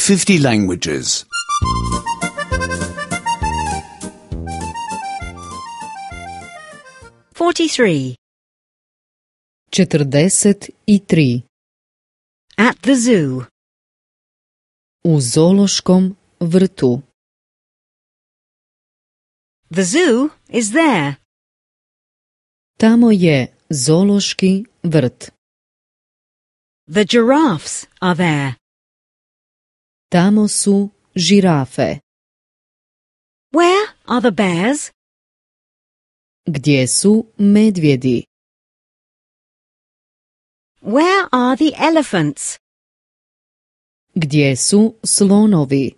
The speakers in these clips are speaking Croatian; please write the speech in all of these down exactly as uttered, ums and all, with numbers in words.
fifty languages. forty-three. četrdeset tri. At the zoo. U zoološkom vrtu. The zoo is there. Tamo je zoološki vrt. The giraffes are there. Tamo su žirafe. Where are the bears? Gdje su medvjedi? Where are the elephants? Gdje su slonovi?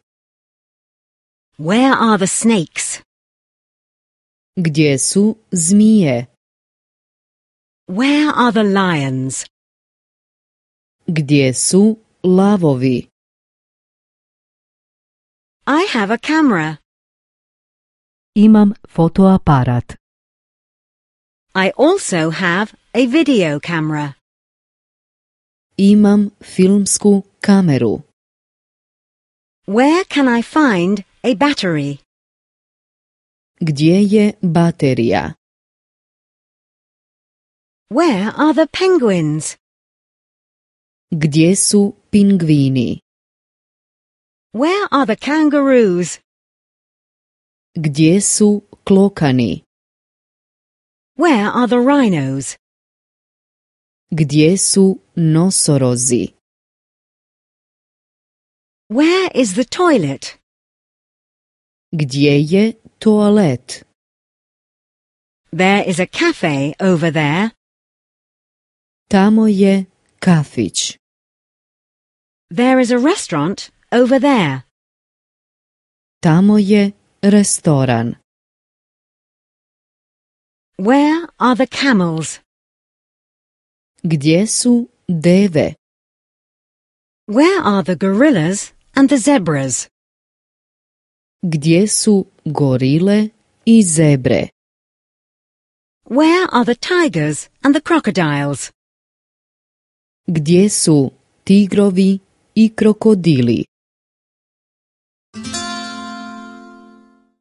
Where are the snakes? Gdje su zmije? Where are the lions? Gdje su lavovi? I have a camera. Imam fotoaparat. I also have a video camera. Imam filmsku kameru. Where can I find a battery? Gdje je baterija? Where are the penguins? Gdje su pingvini? Where are the kangaroos? Gdje su klokani? Where are the rhinos? Gdje su nosorozi? Where is the toilet? Gdje je toalet? There is a cafe over there. Tamo je kafić. There is a restaurant over there. Tamo je restoran. Where are the camels? Gdje su deve? Where are the gorillas and the zebras? Gdje su gorile i zebre? Where are the tigers and the crocodiles? Gdje su tigrovi i krokodili?